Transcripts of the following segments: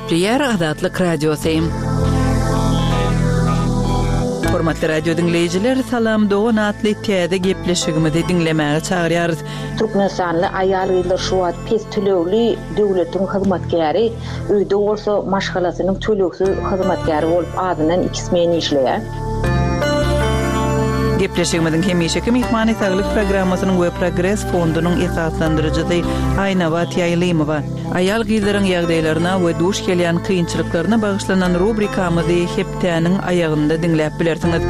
Gepleýär Azatlyk Radiosy. Hormatly radio diňleýjiler, Salam dogan atly täze gepleşigimizi diňlemäge çagyrýarys. Türkmenistanly aýal-gyzlar şu wagt pes tölegli döwletiň hyzmatkäri, öýde bolsa maşgalasynyň tölegsiz hyzmatkäri bolup azyndan iki smen işleýär. Gepleşigimiziň hemişeki myhmany Saglyk programmasynyň we Progres fondunyň esaslandyryjysy Aýnabat Ýaýlymowa. Aýal-gyzlaryň ýagdaýlaryna we duş gelýän kynçylyklaryna bagyşlanan rubrikamyzy hepdäniň aýagynda diňläp bilersiňiz.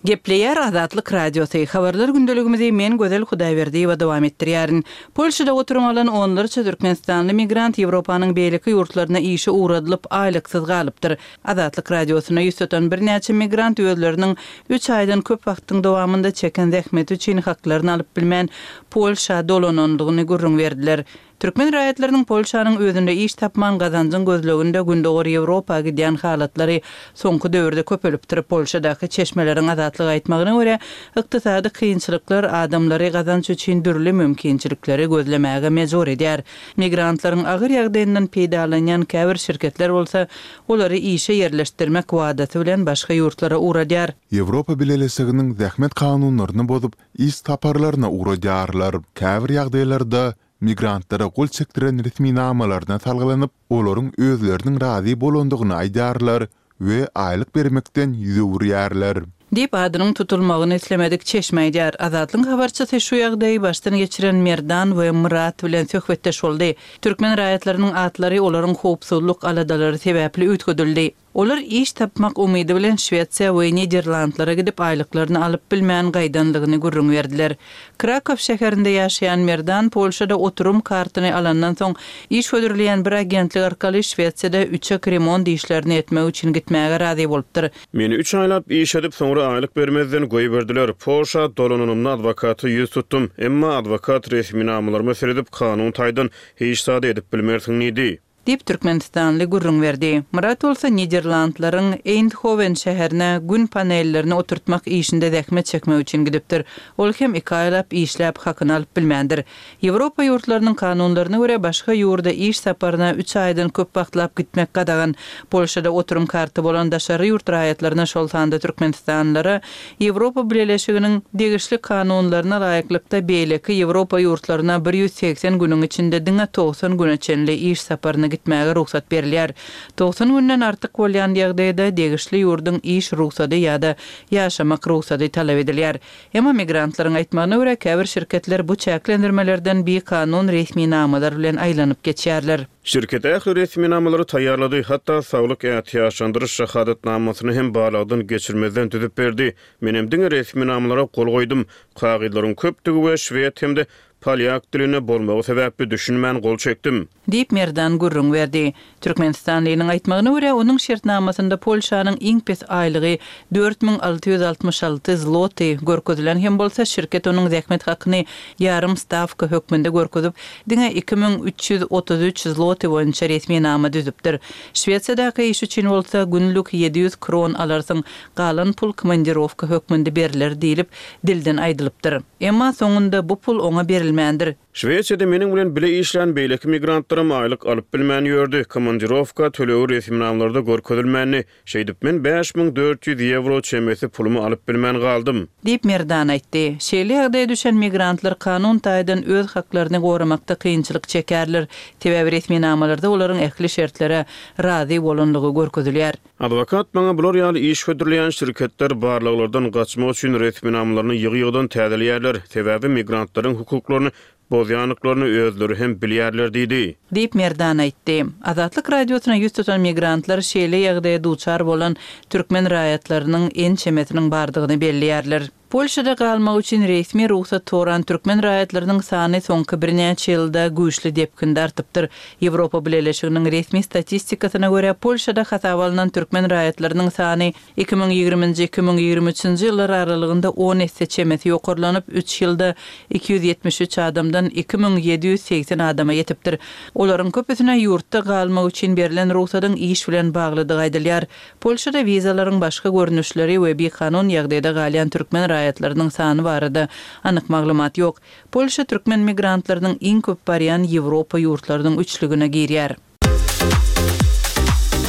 Gepleýär Azatlyk Radiosy, Habarlar gündeligimizi men Gözel Hudaýberdiýewa dowam etdirýärin. Polşada oturum alan onlarça türkmenistanly migrant Ýewropanyň beýleki ýurtlaryna işe ugradylyp, aýlyksyz galypdyr. Azatlyk Radiosyna ýüz tutan birnäçe migrant özleriniň üç aýdan köp wagtyň dowamynda çeken zähmeti üçin haklaryny alyp bilmän, Polşa dolanandygyny gürrüň berdiler. Türkmen raýatlarynyň Polşanyň özünde iş tapman gazanjyň gözleginde Gündogar Ýewropa gidýän halatlary soňky döwürde köpelipdir. Polşadaky çeşmeleriň Azatlyga aýtmagyna görä, ykdysady kynçylyklar adamlary gazanç üçin dürli mümkinçilikleri gözlemäge mejbur edýär. Migrantlaryň agyr ýagdaýyndan peýdalanýan käbir şirketler bolsa olary işe ýerleşdirmek wadasy bilen başga ýurtlara ugradýar. Ýewropa Bileleşiginiň zähmet kanunlaryny bozup, iş saparlaryna ugradýarlar. Käbir ýagdaýlarda migrantlara gol çekdiren resminamalaryna salgylanyp, olaryň özleriniň razy bolandygyny aýdýarlar we aýlyk bermekden ýüz öwürýärler. Diýip, adynyň tutulmagyny islemedik çeşme aýdýar. Azatlygyň habarçysy şu ýagdaýy başdan geçiren Merdan we Myrat bilen söhbetdeş boldy. Türkmen raýatlarynyň atlary olaryň howpsuzlyk aladalary sebäpli üýtgedildi. Olar iş tapmak umydy bilen Şwesiýa we Niderlandlara gidip aýlyklaryny alyp bilmän gaýdandygyny gürrüň berdiler. Krakow şäherinde ýaşaýan Merdan Polşada oturym kartyny alandan soň iş hödürleýän bir agentlik arkaly Şwesiýada üçek remont işlerini etmek üçin gitmäge razy bolupdyr. Meni üç aýlap iş edip, soňra aýlyk bermezden goýberdiler. Polşa dolananymda adwokata ýüz tutdum. Emma adwokat resminamalaryma seredip, kanun taýdan hiç zady edip bilmersiň diýdi. Diýip, türkmenistanly gürrüň berdi. Myrat bolsa Niderlandlaryň Eýndhowen şäherine Gün panellerini oturtmak işinde zähmet çekmek üçin gidipdir. Ol hem iki aýlap işläp, hakyny alyp bilmändir. Ýewropa ýurtlarynyň kanunlaryna görä, başga ýurda iş saparyna üç aýdan köp wagtlap gitmek gadagan. Polşada oturym karty bolan daşary ýurt raýatlaryna, şol sanda türkmenistanlylara Ýewropa Bileleşiginiň degişli kanunlaryna laýyklykda beýleki Ýewropa ýurtlaryna 180 günüň içinde diňe 90 güne çenli iş saparyna gitmäge rugsat berilýär. 90 günden artyk bolýan ýagdaýda degişli ýurduň iş rugsady ýa-da ýaşamak rugsady talap edilýär. Emma migrantlaryň aýtmagyna görä, käbir şirketler bu çäklendirmelerden bikanun resminamalar bilen aýlanyp geçýärler. Şirket ähli resminamalary taýýarlady, hatda saglyk ätiýaçlandyryş şahadatnamasyny hem barlagdan geçirmezden düzüp berdi. Menem diňe resminamalara gol goýdum. Kagyzlaryň köpdügi we şwed hem-de polýak dilinde bolmagy sebäpli düşünmän gol çekdim. Diýip, Merdan gürrüň berdi. Türkmenistanlynyň aýtmagyna görä, onuň şertnamasynda Polşanyň iň pes aýlygy 4666 zloty görkezilen hem bolsa, şirket onuň zähmet hakyny ýarym stawka hökmünde görkezip, diňe 2333 zloty boýunça resminama düzüpdir. Şwesiýadaky iş üçin bolsa, günlük 700 kron alarsyň, galan pul komandirowka hökmünde berler diýlip, dilden aýdylypdyr. Emma soňunda bu pul oňa berilmändir. Şwesiýada meniň bilen bile işlän beýleki migrantlaram aýlyk alyp bilmän ýördi, komandirowka tölegi resminamalarda görkezilmändi. Şeýdip, men 5400 ýewro çemesi pulumy alyp bilmän galdym. Diýip, Merdan aýtdy. Şeýle ýagdaýa düşen migrantlar kanun taýdan öz haklaryny goramakda kynçylyk çekerler, sebäbi resminamalarda olaryň ähli şertlere razy bolanlygy görkezilýär. Adwokat maňa bular ýaly iş hödürleýän şirketler barlaglardan gaçmak üçin resminamalaryny ýygy-ýygydan täzeleýärler, sebäbi migrantlaryň hukuklaryny bozýandyklaryny özleri hem bilýärler diýdi. Diýip, Merdan aýtdy. Azatlyk Radiosyna ýüz tutan migrantlar şeýle ýagdaýa duçar bolan türkmen raýatlarynyň ençemesiniň bardygyny belleýärler. Polşada galmak üçin resmi rugsat soran türkmen raýatlarynyň sany soňky birnäçe ýylda güýçli depginde artypdyr. Ýewropa Bileleşiginiň resmi statistikasyna görä, Polşada hasaba alnan türkmen raýatlarynyň sany 2020-nji, 2023-nji ýyllar aralygynda on esse çemesi ýokarlanyp, üç ýylda 273 adamdan 2780 adama ýetipdir. Olaryň köpüsine ýurtda galmak üçin berlen rugsadyň iş bilen baglydygy aýdylýar. Polşada wizalaryň başga görnüşleri we bikanun ýagdaýda galýan türkmen raýatlarynyň. raýatlarynyň sany barada anyk maglumat ýok. Polşa türkmen migrantlarynyň iň köp barýan Ýewropa ýurtlarynyň üçlügine girýär.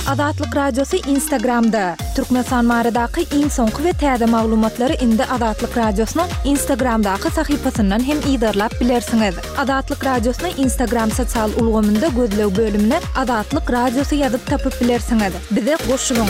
Azatlyk Radiosy Instagramda, Türkmenistan baradaky iň soňky we täze maglumatlary indi Azatlyk Radiosynyň Instagramdaky sahypasyndan hem yzarlap bilersiňiz. Azatlyk Radiosyny Instagram sosial ulgamynda gözleg bölümine Azatlyk Radiosy ýazyp tapyp bilersiňiz. Bize goşulyň!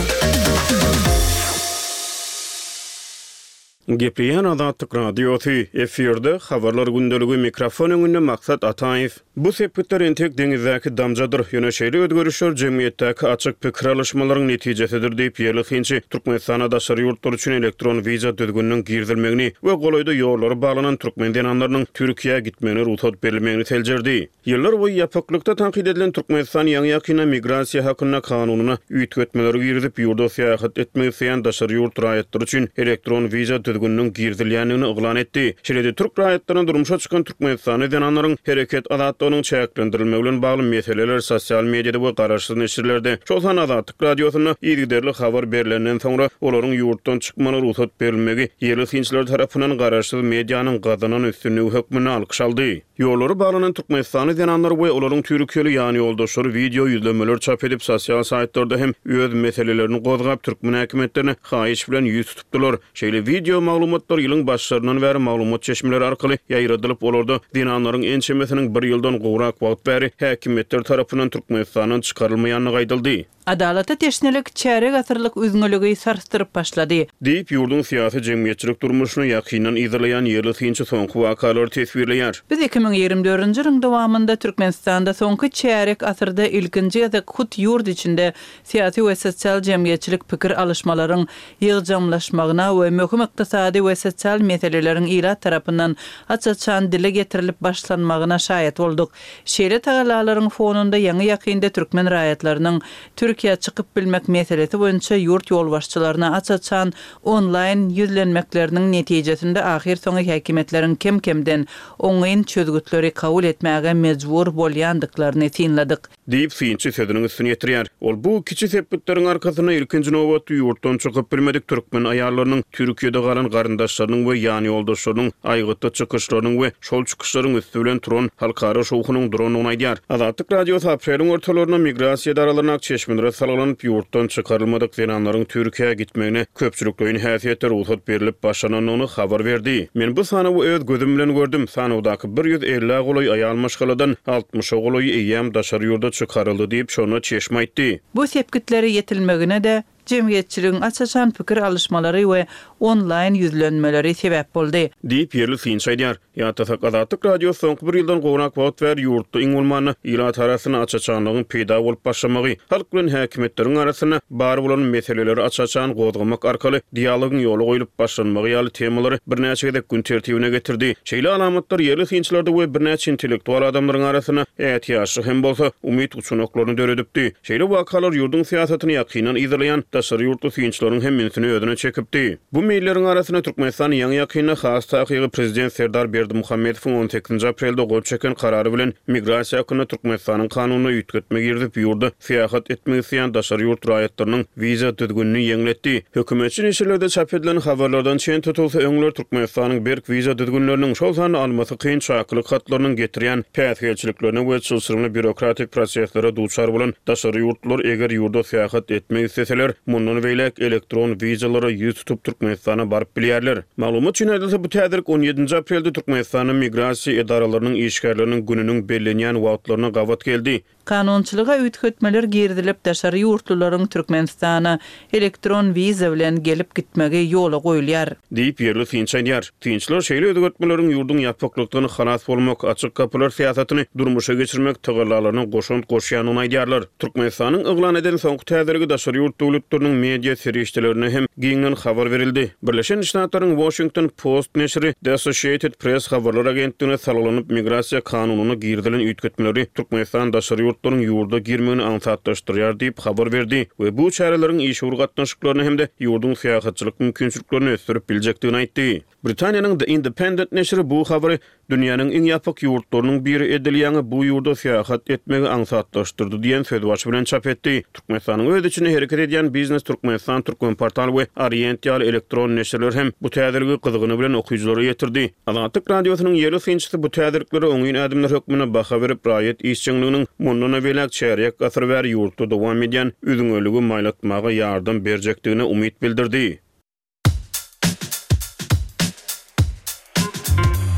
Gepleýän Azatlyk Radiosy, efirde, Habarlar gündeligi, mikrofon öňünde Maksat Ataýew. Bu sepgitler entek deňizdäki damjadyr, ýöne şeýle özgerişler jemgyýetdäki açyk pikir alyşmalaryň netijesidir diýip, ýerli synçy Türkmenistanda daşary ýurtlar üçin elektron wiza düzgüniniň girizilmegini we golaýda ýollary baglanan türkmen zenanlarynyň Türkiýä gitmegine rugsat berilmegini seljerdi. Ýyllar boýy ýapyklykda tankyt edilen Türkmenistan ýaňy-ýakynda Migrasiýa hakynda kanunyna üýtgetmeleri girizip, ýurda syýahat etmek isleýän daşary ýurt raýatlary üçin elektron wiza düzgüniniň girizilýändigini yglan etdi. Şeýle-de türk raýatlaryna durmuşa çykan türkmenistanly zenanlaryň hereket azatlygynyň çäklendirilmegi bilen bagly meseleler sosial mediada we garaşsyz neşirlerde, şol sanda Azatlyk Radiosynda yzygiderli habar berlenden soňra, olaryň ýurtdan çykmagyna rugsat berilmegi ýerli synçylar tarapyndan garaşsyz medianyň gazanan üstünligi hökmünde alkyş aldy. Ýollary baglanan türkmenistanly zenanlar we olaryň türkiýeli ýanýoldaşlary wideo ýüzlenmeler çap edip, sosial saýtlarda hem öz meselelerini gozgap, türkmen häkimiýetlerine haýyş bilen ýüz tutupdylar. Şeýle wideo maglumatlar ýylyň başlaryndan bäri maglumat çeşmeleri arkaly ýaýradylyp, olarda zenanlaryň ençemesiniň bir ýyldan gowrak wagt bäri häkimiýetler tarapyndan Türkmenistandan çykarylmaýandygy aýdyldy. Adalata teşnelik çärýek asyrlyk üzňeligi sarsdyryp başlady. Diýip, ýurduň syýasy-jemgyýetçilik durmuşyny ýakyndan yzarlaýan ýerli synçy soňky wakalary teswirleýär. Biz 2024-nji ýylyň dowamynda Türkmenistanda soňky çärýek asyrda ilkinji gezek hut ýurt içinde syýasy we sosial-jemgyýetçilik pikir alyşmalaryň ýygjamlaşmagyna we möhüm ykdysady we sosial meseleleriň ilat tarapyndan aç-açan dile getirilip başlanmagyna şaýat bolduk. Şeýle tagallalaryň fonunda ýaňy-ýakynda türkmen raýatlarynyň Türkiýä çykyp bilmek meselesi boýunça ýurt ýolbaşçylaryna aç-açan onlaýn ýüzlenmekleriniň netijesinde ahyrsoňy häkimiýetleriň kem-kemden oňyn çözgütleri kabul etmäge mejbur bolýandyklaryny synladyk. Diýip, synçy sözüniň üstüni ýetirýär. Ol bu kiçi sepgitleriň arkasynda ilkinji nobatda ýurtdan çykyp bilmedik türkmen aýallarynyň Türkiýede galan garyndaşlarynyň we ýanýoldaşlarynyň aýgytly çykyşlarynyň we şol çykyşlaryň üsti bilen turan halkara şowhunyň durandygyny aýdýar. Azatlyk Radiosy apreliň ortalarynda migrasiýa edaralaryndaky çeşmelere salgylanyp, ýurtdan çykarylmadyk zenanlaryň Türkiýä gitmegine köpçülikleýin häsiýetde rugsat berlip başlanandygyny habar berdi. Men bu sanawy öz gözüm bilen gördüm. Sanawdaky bir ýüz ellä golaý aýal maşgaladan altmyşa golaýy eýýäm daşary ýurda çykaryldy diýip, şonda çeşme aýtdy. Bu sepgitlere ýetilmegine-de jemgyýetçiligiň aç-açan pikir alyşmalary we onlaýn ýüzlenmeleri sebäp boldy. Diýip, ýerli synçy aýdýar. Ýatlasak, Azatlyk Radiosy soňky bir ýyldan gowrak wagt bäri ýurtda iň bolmanda ilat arasynda aç-açanlygyň peýda bolup başlamagy, halk bilen häkimiýetleriň arasynda bar bolan meseleleri aç-açan gozgamak arkaly dialogyň ýola goýlup başlanmagy ýaly temalary birnäçe gezek gün tertibine getirdi. Şeýle alamatlar ýerli synçylarda we birnäçe intellektual adamlaryň arasynda ätiýaçly hem bolsa, umyt uçganaklaryny döredipdi. Şeýle wakalar ýurduň syýasatyny ýakyndan yzarlaýan daşary ýurtly synçylaryň hem ünsüni özüne çekipdi. Bu meýilleriň arasynda Türkmenistan ýaňy-ýakynda, has takygy prezident Serdar Berdimuhamedowyň on sekizinji aprelde gol çeken karary bilen Migrasiýa hakynda Türkmenistanyň kanunyna üýtgetme girizip, ýurda syýahat etmek isleýän daşary ýurt raýatlarynyň wiza düzgünini ýeňletdi. Hökümetçi neşirlerde çap edilen habarlardan çen tutulsa, öňler Türkmenistanyň berk wiza düzgünleriniň, şol sanda almasy kyn çakylyk hatlarynyň getirýän päsgelçiliklerine we çylşyrymly býurokratik proseslere duçar bolan daşary ýurtlular eger ýurda syýahat etmek isleseler, mundan beýläk elektron wizalara ýüz tutup Türkmenistana baryp bilýärler. Maglumat üçin aýdylsa, bu täzelik on ýedinji aprelde Türkmenistanda migrasiýa edaralarynyň işgärleriniň gününiň bellenýän wagtlaryna gabat geldi. Kanunçylyga üýtgetmeler girizilip, daşary ýurtlularyň Türkmenistana elektron wiza bilen gelip gitmegi ýola goýulýar. Diýip, ýerli synçy aýdýar. Synçylar şeýle özgertmeleriň ýurduň ýapyklykdan halas bolmak, açyk gapylar syýasatyny durmuşa geçirmek tagallalaryna goşant goşýandygyny aýdýarlar. Türkmenistanyň yglan eden soňky täzeligi daşary ýurt döwletleriniň media serişdelerinde hem giňden habar berildi. Birleşen Ştatlaryň Washington Post neşiri The Associated Press habarlar agentligine salgylanyp, migrasiýa kanunyna girizilen üýtgetmeleri Türkmenistan daşary ýurtlaryň ýurda girmegini aňsatlaşdyrýar diýip habar berdi we bu çäreleriň işewür gatnaşyklaryny hem-de ýurduň syýahatçylyk mümkinçiliklerini ösdürip biljekdigini aýtdy. Britaniýanyň The Independent neşiri bu habary. Dünýäniň iň ýapyk ýurtlarynyň biri edil ýaňy bu ýurda syýahat etmegi aňsatlaşdyrdy diýen sözbaşy bilen çap etdi. Türkmenistanyň öz içinde hereket edýän Biznes Türkmenistan, Türkmenportal we Orient ýaly elektron neşirler hem bu täzeligi gyzgyny bilen okyjylara ýetirdi. Azatlyk Radiosynyň ýerli synçysy bu täzeliklere oňyn ädimler hökmünde baha berip, raýat işjeňliginiň mundan-da beýläk çärýek asyr bäri ýurtda dowam edýän üzňeligi maýlatmaga ýardam berjekdigine umyt bildirdi.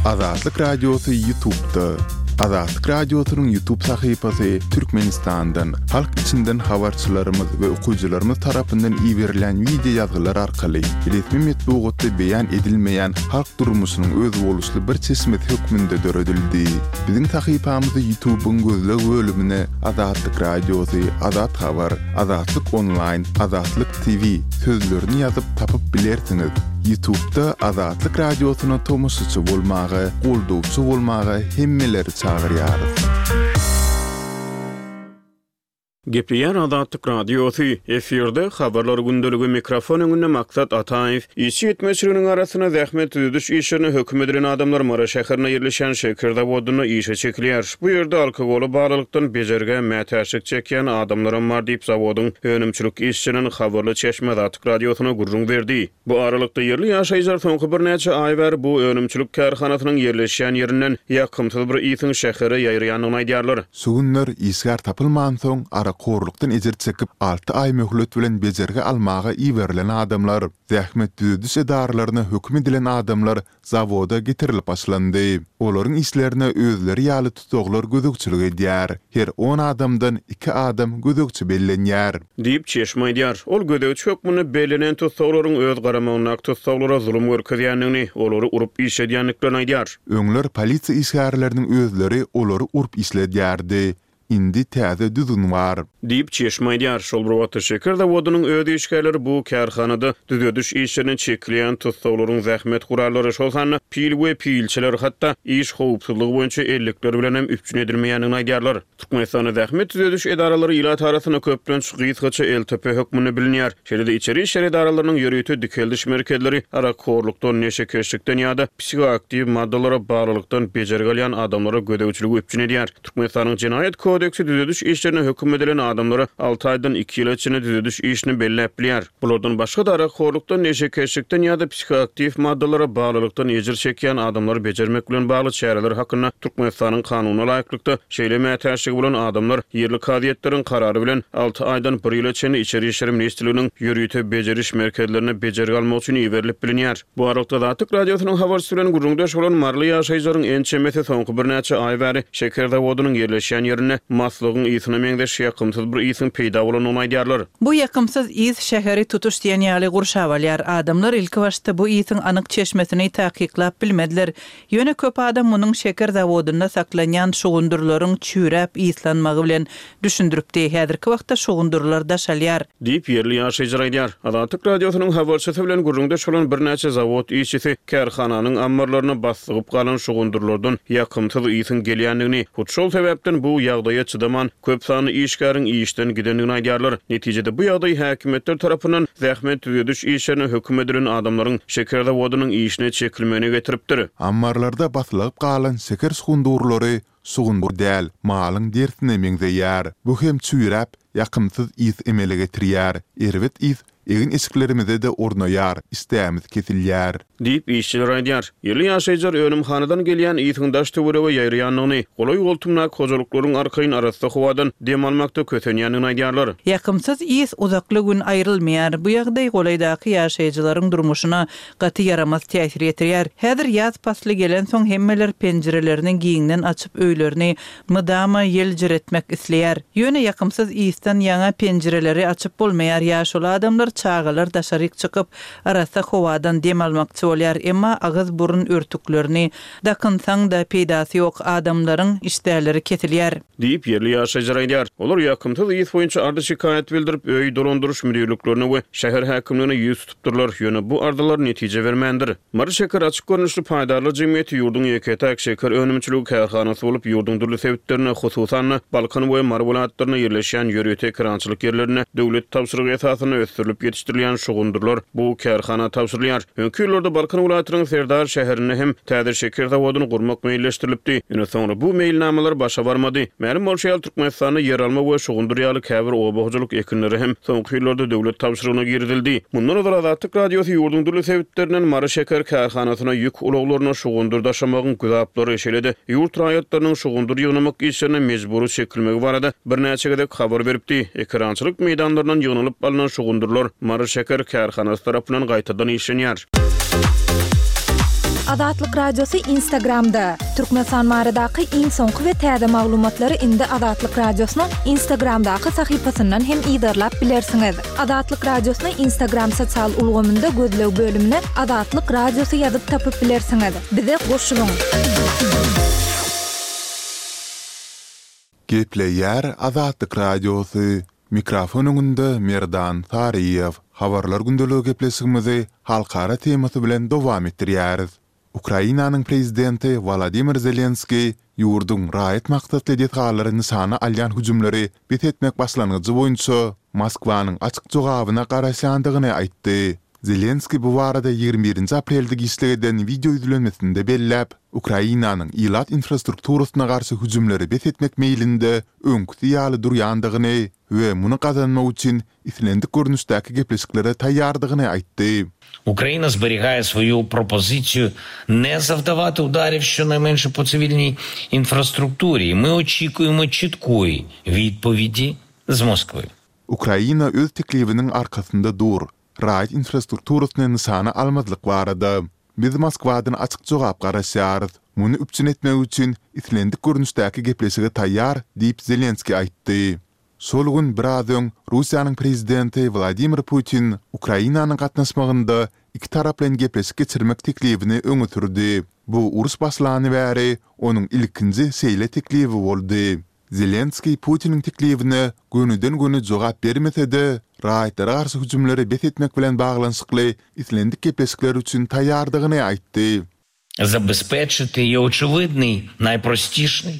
Azatlyk Radiosy Ýutubda. Azatlyk Radiosynyň Ýutub sahypasy Türkmenistandan, halk içinden habarçylarymyz we okyjylarymyz tarapyndan iberilen wideo ýazgylar arkaly resmi metbugatda beýan edilmeýän halk durmuşynyň özboluşly bir çeşmesi hökmünde döredildi. Biziň sahypamyzy Ýutubyň gözleg bölümine Azatlyk Radiosy, Azat Habar, Azatlyk Onlaýn, Azatlyk TV sözlerini ýazyp tapyp bilersiňiz. Ýutubda Azatlyk Radiosyna tomaşaçy bolmaga, goldawçy bolmaga hemmeleri çagyrýarys. Gepleýär Azatlyk Radiosy, efirde Habarlar gündeligi, mikrofon öňünde Maksat Ataýew. Işçi ýetmezçiliginiň arasynda zähmet düzediş işlerine höküm edilen adamlar Mary şäherinde ýerleşýän şeker zawodynda işe çekilýär. Bu ýerde alkogola baglylykdan bejergä mätäçlik çekýän adamlaram bar diýip, zawodyň önümçilik işçilerinden habarly çeşme Azatlyk Radiosyna gürrüň berdi. Bu aralykda, ýerli ýaşaýjylar soňky birnäçe aý bäri bu önümçilik kärhanasynyň ýerleşýän ýerinden ýakymsyz bir ysyň şähere ýaýraýandygyny aýdýarlar. Şu günler işgär tapylmansoň, arakhorlukdan ejir çekip, alty aý möhlet bilen bejergi almaga iberilen adamlar, zähmet düzediş edaralaryna höküm edilen adamlar zawoda getirilip başlandy. Olaryň işlerine özleri ýaly tussaglar gözegçilik edýär. Her on adamdan iki adam gözegçi bellenýär. Diýip, çeşme aýdýar. Ol gözegçi hökmünde bellenen tussaglaryň öz garamagyndaky tussaglara zulum görkezýändigini, olary urup işledýändiklerini aýdýar. Öňler polisiýa işgärleriniň özleri olary urup işledýärdi. Indi täze düzgün bar. Diýip, çeşme aýdýar. Şol bir wagtda, şeker zawodynyň öz işgärleri bu kärhanada düzediş işlerine çekilýän tussaglaryň zähmet gurallary, şol sanda pil we pilçeler, hatda iş howpsuzlygy boýunça ellikler bilen hem üpjün edilmeýändigini aýdýarlar. Türkmenistanda zähmet düzediş edaralary ilat arasynda köplenç gysgaça LTP hökmünde bilinýär. Şeýle-de içeri işler edaralarynyň ýörite dikeldiş merkezleri arakhorlukdan, neşekeşlikden ýa-da psihoaktiw maddalara baglylykdan bejergi alýan adamlara gözegçiligi üpjün edýär. Türkmenistanyň Jenaýat kodeksi düzediş işlerine höküm edilen adamlara alty aýdan iki ýyla çenli düzediş işini belläp bilýär. Bulardan başga-da arakhorlukdan, neşekeşlikden ýa-da psihoaktiw maddalara baglylykdan ejir çekýän adamlary bejermek bilen bagly çäreler hakynda Türkmenistanyň Kanunyna laýyklykda, şeýle mätäçligi bolan adamlar ýerli kazyýetleriň karary bilen alty aýdan bir ýyla çenli Içeri işler ministrliginiň ýörite bejeriş merkezlerine bejergi almak üçin iberilip bilinýär. Bu aralykda Azatlyk Radiosynyň habarçysy bilen gürrüňdeş bolan maryly ýaşaýjylaryň ençemesi soňky birnäçe aý bäri şeker zawodynyň ýerleşýän ýerinde maslygyň ysyna meňzeş ýakymsyz bir ysyň peýda bolandygyny aýdýarlar. Bu ýakymsyz ys şäheri tutuş diýen ýaly gurşap alýar. Adamlar ilkibaşda bu ysyň anyk çeşmesini takyklap bilmediler. Ýöne köp adam munuň şeker zawodynda saklanýan şugundyrlaryň çüýräp yslanmagy bilen düşündiripdi. Häzirki wagtda şugundyrlar daşalýar. Diýip, ýerli ýaşaýjylar aýdýar. Azatlyk Radiosynyň habarçysy bilen gürrüňdeş bolan birnäçe zawod işçisi kärhananyň ammarlaryna baslygyp galan şugundyrlardan ýakymsyz ysyň gelýändigini, hut şol sebäpden bu ýagdaýa çydaman, köp sanly işgäriň işden gidendigini aýdýarlar. Netijede bu ýagdaý häkimiýetler tarapyndan zähmet düzediş işlerine höküm edilen adamlaryň şeker zawodynyň işine çekilmegine getiripdir. Ammarlarda baslygyp galan şeker şugundyrlary şugundyr däl, malyň derisine meňzeýär. Bu hem çüýräp, ýakymsyz ys emele getirýär. Erbet ys egin-eşiklerimize-de ornaýar, işdämiz kesilýär. Diýip, işçiler aýdýar. Ýerli ýaşaýjylar önümhanadan gelýän ysyň daş-töwerege ýaýraýandygyny, golaý-goltumdaky hojalyklaryň arkaýyn arassa howadan dem almakda kösenýändigini aýdýarlar. Ýakymsyz ys uzakly gün aýrylmaýar. Bu ýagdaý golaýdaky ýaşaýjylaryň durmuşyna gaty ýaramaz täsir ýetirýär. Häzir ýaz pasly gelensoň hemmeler penjirelerini giňden açyp öýlerini mydama ýeljiretmek isleýär. Ýöne ýakymsyz ysdan ýaňa penjireleri açyp bolmaýar. Ýaşuly adamlar, çagalar daşaryk çykyp, arassa howadan dem almakçy bolýar. Emma agyz-burun örtüklerini dakynsaň-da peýdasy ýok, adamlaryň işdäleri kesilýär. Diýip, ýerli ýaşaýjylar aýdýar. Olar ýakymsyz ys boýunça arza-şikaýat bildirip, öý dolandyryş müdirliklerine we şäher häkimligine ýüz tutupdyrlar, ýöne bu arzalar netije bermändir. Mary şeker açyk görnüşli paýdarlar jemgyýeti ýurduň ýeke-täk şeker önümçiligi kärhanasy bolup, ýurduň dürli sebitlerinde, hususan-da, Balkan we Mary welaýatlarynda ýerleşýän ýörite ekerançylyk ýerlerinde döwlet tabşyrygy esasynda ösdürilip. Ekilip ýetişdirilýän şugundyrlar bu kärhana tabşyrylýar. Öňki ýyllarda Balkan welaýatynyň Serdar şäherinde hem täze şeker zawodyny gurmak meýilleşdirilipdi. Ýöne soňra bu meýilnamalar başa barmady. Mälim bolşy ýaly, Türkmenistanda ýeralma we şugundyr ýaly käbir oba hojalyk ekinleri hem soňky ýyllarda döwlet tabşyrygyna girizildi. Mundan ozal Azatlyk Radiosy ýurduň dürli sebitlerinden Mary şeker kärhanasyna ýük ulaglaryna şugundyr daşamagyň güzaplary, şeýle-de ýurt raýatlarynyň şugundyr ýygnamak işlerine mejbury çekilmegi barada birnäçe gezek habar beripdi. Ekerançylyk meýdanlaryndan ýygnalyp alnan şugundyrlar Mary şeker kärhanasy tarapyndan gaýtadan işlenýär. Azatlyk Radiosy Instagramda, Türkmenistan baradaky iň soňky we täze maglumatlary indi Azatlyk Radiosynyň Instagramdaky sahypasyndan hem yzarlap bilersiňiz. Azatlyk Radiosyny Instagram sosial ulgamynda gözleg bölümine Azatlyk Radiosy ýazyp tapyp bilersiňiz. Bize goşulyň! Gepleýär Azatlyk Radiosy, Mikrofon öňünde Merdan Saryýew. Habarlar gündeligi gepleşigimizi halkara temasy bilen dowam etdirýäris. Ukrainanyň prezidenti Wolodymyr Zelenskiý ýurduň raýat maksatly desgalary nyşana alýan hüjümleri bes etmek başlangyjy boýunça Moskwanyň açyk jogabyna garaşýandygyny aýtdy. Zelenskiý bu barada 21-nji aprelde giçlik eden wideo ýüzlenmesinde belläp, Ukrainanyň ilat infrastrukturasyna garşy hüjümleri bes etmek meýlinde öňküsi ýaly durýandygyny we muny gazanmak üçin islendik görnüşdäki gepleşiklere taýýardygyny aýtdy. Ukraina zberigaýe svoýu propozysiýu ne zavdawati udarів щонайменше po tsivilniý infrastrukturi. My oçikuýemo çitkoý widpowidi z Moskwy. Ukraina öz teklibiniň arkasynda dur, raýat infrastrukturasyny nyşana almazlyk barada. Biz Moskwadan açyk jogap garaşýarys. Muny üpjün etmek üçin islendik görnüşdäki gepleşige taýýar diýip Zelenskiý aýtdy. Şol gün biraz öň Russiýanyň prezidenti Wladimir Putin Ukrainanyň gatnaşmagynda ikitaraplaýyn gepleşik geçirmek teklibini öňe sürdi. Bu uruş başlany bäri onuň ilkinji şeýle teklibi boldy. Zelenskiý Putiniň teklibine gönüden-göni jogap bermese-de, raýatlara garşy hüjümleri bes etmek bilen baglanyşykly islendik gepleşikler üçin taýýardygyny aýtdy. Zabezpeçiti i oçewidnyý, naýprostişnyý,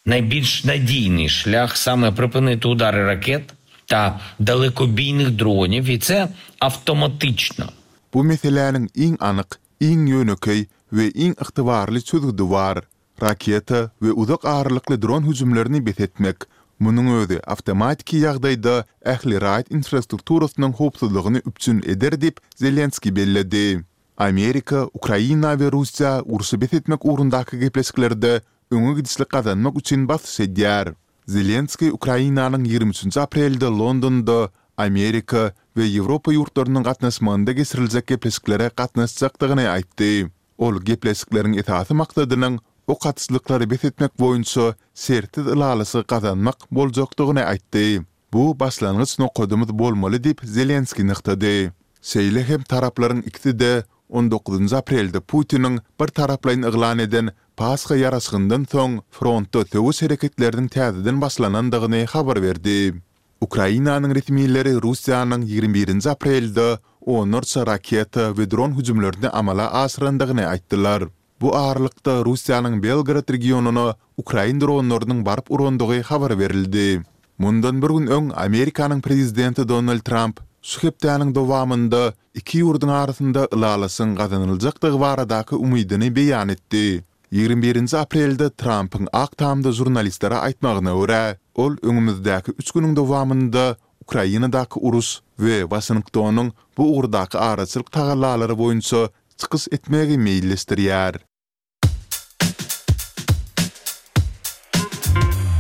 naýbilş nadýnyý şlýah same pripyniti udary raket ta dalekobiynyh dronýow i se awtomatiçno. Bu meseläniň iň anyk, iň ýönekeý we iň ygtybarly çözgüdi bar. Raketa we uzak aralykly dron hüjümlerini bes etmek. Munuň özi awtomatiki ýagdaýda ähli raýat infrastrukturasynyň howpsuzlygyny üpjün eder diýip, Zelenskiý belledi. Amerika, Ukraina we Russiýa urşy bes etmek ugrundaky gepleşiklerde öňe gidişlik gazanmak üçin basyş edýär. Zelenskiý Ukrainanyň 23 aprelde Londonda Amerika we Ýewropa ýurtlarynyň gatnaşmagynda geçiriljek gepleşiklere gatnaşjakdygyny aýtdy. Ol gepleşikleriň esasy maksadynyň ok atyşlyklary bes etmek boýunça şertsiz ylalaşygy gazanmak boljakdygyny aýtdy. Bu başlangyç nokadymyz bolmaly diýip, Zelenskiý nygtady. Şeýle hem taraplaryň ikisi-de on dokuzynjy aprelde Putiniň birtaraplaýyn yglan eden Pasha ýaraşygyndan soň frontda söweş hereketleriniň täzeden başlanandygyny habar berdi. Ukrainanyň resmileri Russiýanyň 21-nji aprelde onlarça raketa we dron hüjümlerini amala aşyrandygyny aýtdylar. Bu aralykda, Russiýanyň Belgorod regionyna ukrain dronlarynyň baryp urandygy habar berildi. Mundan bir gün öň Amerikanyň prezidenti Donald Tramp şu hepdäniň dowamynda iki ýurduň arasynda ylalaşygyň gazanyljakdygy baradaky umydyny beýan etdi. 21-nji aprelde Trampyň Ak Tamda žurnalistlere aýtmagyna görä, ol öňümizdäki üç günüň dowamynda Ukrainadaky uruş we Waşingtonyň bu ugurdaky araçylyk tagallalary boýunça çykyş etmegi meýilleşdirýär.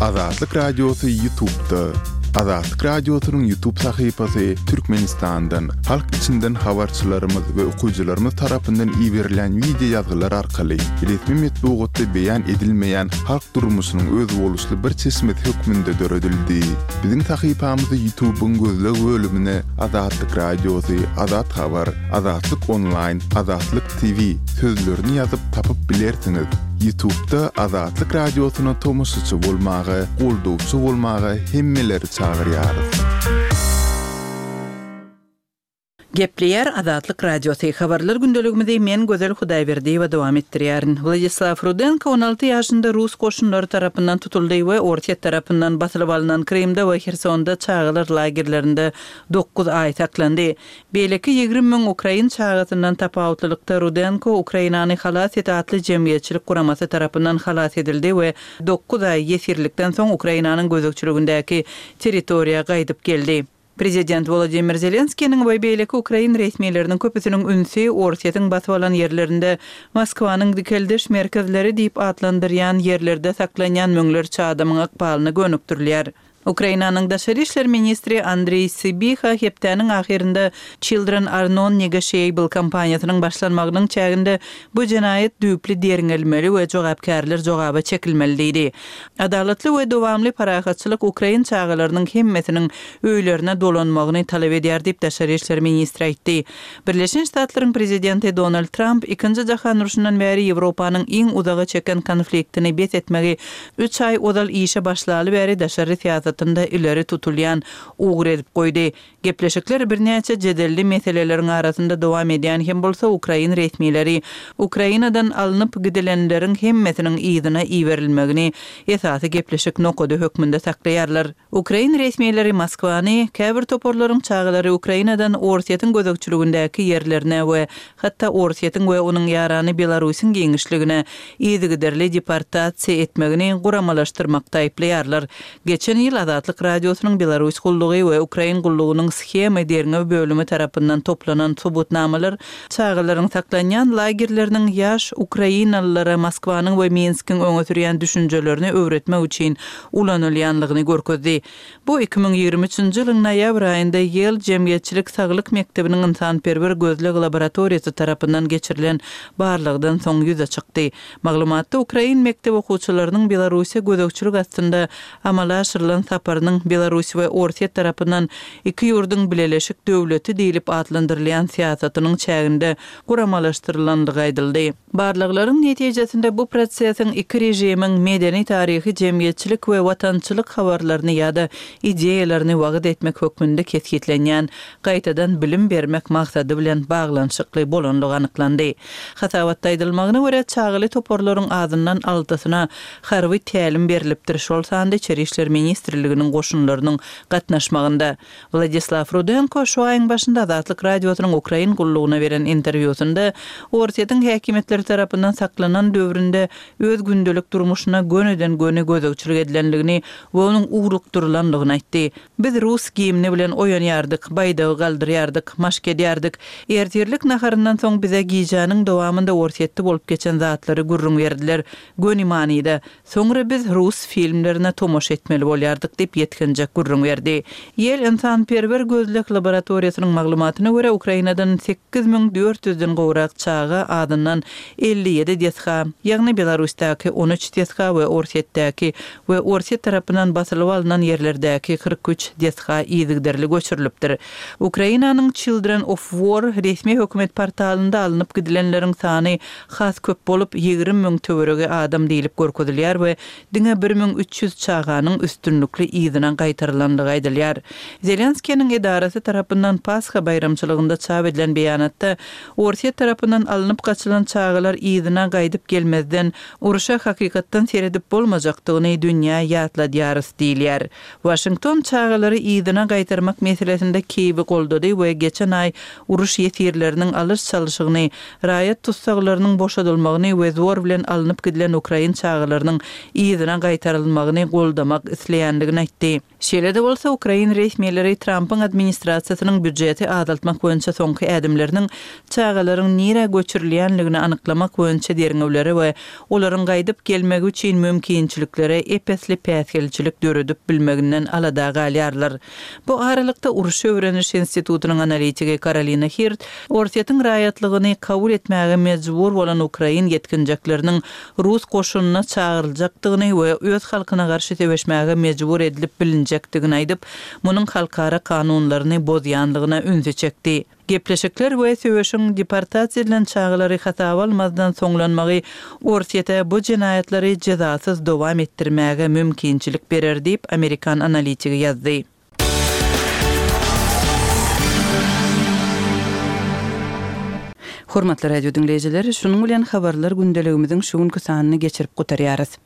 Azatlyk Radiosy YouTube'da. Azatlyk Radiosynyň YouTube sahypasy Türkmenistandan, halk içinden habarçylarymyz we okyjylarymyz tarapyndan iberilen wideo ýazgylar arkaly resmi metbugatda beýan edilmeýän halk durmuşynyň özboluşly bir çeşmesi hökmünde döredildi. Biziň sahypamyzy YouTube-yň gözleg bölümine Azatlyk Radiosy, Azat Habar, Azatlyk Onlaýn, Azatlyk TV sözlerini ýazyp tapyp bilersiňiz. Ýutubda Azatlyk Radiosyna tomaşaçy bolmaga, goldawçy bolmaga hemmeleri çagyrýarys. Gepleýär Azatlyk Radiosy, Habarlar gündeligimizi men Gözel Hudaýberdiýewa dowam etdirýärin. Wladislaw Rudenko 16 ýaşynda rus goşunlary tarapyndan tutuldy we Orsýet tarapyndan basylyp alnan Krymda we Hersonda çagalar lagerlerinde dokuz aý saklandy. Beýleki 20 müň ukrain çagasyndan tapawutlylykda Rudenko Ukrainany halas et atly jemgyýetçilik guramasy tarapyndan halas edildi we dokuz aý ýesirlikden soň Ukrainanyň gözegçiligindäki territoriýa gaýdyp geldi. Prezident Wolodymyr Zelenskiniň we beýleki ukrain resmileriniň köpüsiniň ünsi Orsýetiň basyp alan ýerlerinde Moskwanyň dikeldiş merkezleri diýip atlandyrýan ýerlerde saklanýan müňlerçe adamyň ykbalyna gönükdirilýär. Ukrainanyň daşary işler ministri Andriý Sybiha hepdäniň ahyrynda Children are non-negotiable kampaniýasynyň başlanmagynyň çäginde bu jenaýat düýpli derňelmeli we jogapkärler jogaba çekilmeli diýdi. Adalatly we dowamly parahatçylyk ukrain çagalarynyň hemmesiniň öýlerine dolanmagyny talap edýär diýip, daşary işler ministri aýtdy. Birleşen Ştatlaryň prezidenti Donald Tramp Ikinji jahan urşundan bäri Ýewropanyň iň uzaga çeken konfliktini bes etmegi üç aý ozal işe başlaly bäri daşary syýasatynda ileri tutulýan ugur edip goýdy. Gepleşikler birnäçe jedelli meseleleriň arasynda dowam edýän hem bolsa, ukrain resmileri Ukrainadan alnyp gidilenleriň hemmesiniň yzyna iberilmegini esasy gepleşik nokady hökmünde saklaýarlar. Ukrain resmileri Moskwany, käbir toparlaryň çagalary Ukrainadan Orsýetiň gözegçiligindäki ýerlerine we hatda Orsýetiň we onuň ýarany Belarusyň giňişligine yzygiderli deportasiýa etmegini guramalaşdyrmakda aýyplaýarlar. Geçen ýyl Azatlyk Radiosynyň Belarus gullugy we Ukrain gullugynyň Shemy derňew bölümi tarapyndan toplanan subutnamalar çagalaryň saklanýan lagerleriniň ýaş ukrainalylara Moskwanyň we Minskiň öňe sürýän düşünjelerini öwretmek üçin ulanylýanlygyny görkezdi. Bu 2023-nji ýylyň noýabr aýynda Ýel jemgyýetçilik saglyk mekdebiniň ynsanperwer gözleg laboratoriýasy tarapyndan geçirilen barlagdan soň ýüze çykdy. Maglumatda ukrain mekdep okuwçylarynyň Belarussiýa gözegçilik astynda amala aşyrylan saparynyň Belarus we Orsýet tarapyndan iki ýurduň bileleşik döwleti diýlip atlandyrylýan syýasatynyň çäginde guramalaşdyrylandygy aýdyldy. Barlaglaryň netijesinde bu prosesiň iki režimiň medeni-taryhy, jemgyýetçilik we watançylyk habarlaryny ýa-da ideýalaryny wagyz etmek hökmünde kesgitlenýän gaýtadan bilim bermek maksady bilen baglanyşykly bolandygy anyklandy. Hasabatda aýdylmagyna görä, çagaly toparlaryň azyndan altysyna harby tälim berlipdir, şol sanda Içeri işler ministrliginiň goşunlarynyň gatnaşmagynda. Wladislaw Rudenko şu aýyň başynda Azatlyk Radiosynyň Ukrain gullugyna beren interwýusynda Orsýetiň häkimiýetleri tarapyndan saklanan döwründe öz gündelik durmuşyna gönüden-göni gözegçilik edilendigini we onuň ugrukdyrylandygyny aýtdy. Biz rus gimni bilen oýanýardyk, baýdagy galdyrýardyk, maşk edýärdik. Ertirlik naharyndan soň bize gijäniň dowamynda Orsýetde bolup geçen zatlary gürrüň berdiler. Göni manyda. Soňra biz rus filmlerine tomaşa etmeli bolýardyk diýip, ýetginjek gürrüň berdi. Ýel ynsanperwer gözleg laboratoriýasynyň maglumatyna görä, Ukrainadan 8400 den gowrak çaga azyndan 57 desga, ýagny Belarusdaky 13 desga we Orsýetdäki we Orsýet tarapyndan basylyp alnan ýerlerdäki 43 desga yzygiderli göçürilipdir. Ukrainanyň Children of War resmi hökümet portalynda alnyp gidilenleriň sany has köp bolup, 20 müň töweregi adam diýlip görkezilýär we diňe 1300 çaganyň üstünlikli yzyna gaýtarylandygy aýdylýar. Zelenskiniň edarasy tarapyndan Pasha baýramçylygynda çap edilen beýanatda, Orsýet tarapyndan alnyp gaçylan çagalar yzyna gaýdyp gelmezden, Urşa hakykatdan seredip bolmajakdygyny dünýä ýatladýarys diýilýär. Waşington çagalary yzyna gaýtarmak meselesinde Kiýewi goldady we geçen aý uruş ýesirleriniň alyş-çalşygyny, raýat tussaglarynyň boşadylmagyny we zor bilen alnyp gidilen ukrain çagalarynyň yzyna gaýtarylmagyny goldamak isleýändigini aýtdy. Şeýle-de bolsa, ukrain resmileri Trampyň administrasiýasynyň býujeti azaltmak boýunça soňky ädimleriniň çagalaryň nirä göçürilýänligini anyklamak boýunça derňewlere we olaryň gaýdyp gelmegi üçin mümkinçiliklere ep-esli päsgelçilik döredip bilmeginden alada galýarlar. Bu aralykda, Urşy öwreniş institutynyň analitigi Karolina Hirt Orsýetiň raýatlygyny kabul etmäge mejbur bolan ukrain ýetginjekleriniň rus goşunyna çagyryljakdygyny we öz halkyna garşy söweşmäge mejbur edilip bilinjekdigini aýdyp, munuň halkara kanunlaryny bozýandygyna ünsi çekdi. Gepleşikler we söweşiň deportasiýa edilen çagalary hasaba almazdan soňlanmagy Orsýete bu jenaýatlary jezasyz dowam etdirmäge mümkinçilik berer diýip, amerikan analitigi ýazdy. Hormatly radio diňleýjiler, şunuň bilen Habarlar gündeligimiziň şu günki sanyny geçirip gutarýarys.